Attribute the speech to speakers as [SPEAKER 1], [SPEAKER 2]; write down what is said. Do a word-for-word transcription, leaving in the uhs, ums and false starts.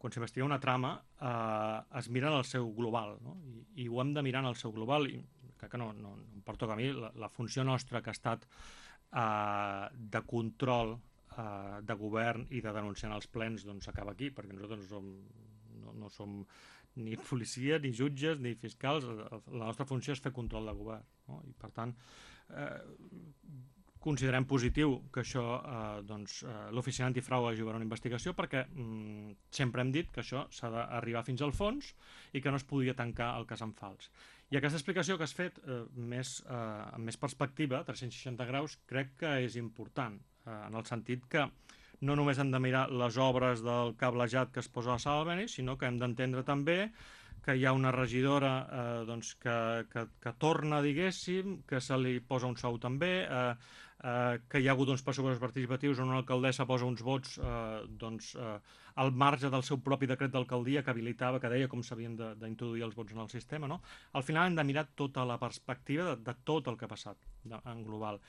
[SPEAKER 1] quan s'investiga una trama, eh, es mira en el seu global, no? I, i ho hem de mirar en el seu global, i crec que no, no, no em pertoca a mi, la, la funció nostra que ha estat eh, de control eh, de govern i de denunciar en els plens, doncs acaba aquí, perquè nosaltres no som, no, no som ni policia, ni jutges, ni fiscals. La nostra funció és fer control de govern, no? I per tant eh, considerem positiu que això, eh, doncs, eh, l'oficina antifrau hagi obert una investigació, perquè mm, sempre hem dit que això s'ha d'arribar fins al fons i que no es podia tancar el cas en fals. I aquesta explicació que has fet, eh, més, eh, amb més perspectiva, tres-cents seixanta graus, crec que és important, eh, en el sentit que no només hem de mirar les obres del cablejat que es posa a la Sala Albéniz, sinó que hem d'entendre també que hi ha una regidora eh, doncs que, que, que torna, diguéssim, que se li posa un sou també, eh, eh, que hi ha hagut uns pressupostos participatius on una alcaldessa posa uns vots eh, doncs, eh, al marge del seu propi decret d'alcaldia que habilitava, que deia com s'havien d'introduir els vots en el sistema, no? Al final hem de mirar tota la perspectiva de, de tot el que ha passat de, en global.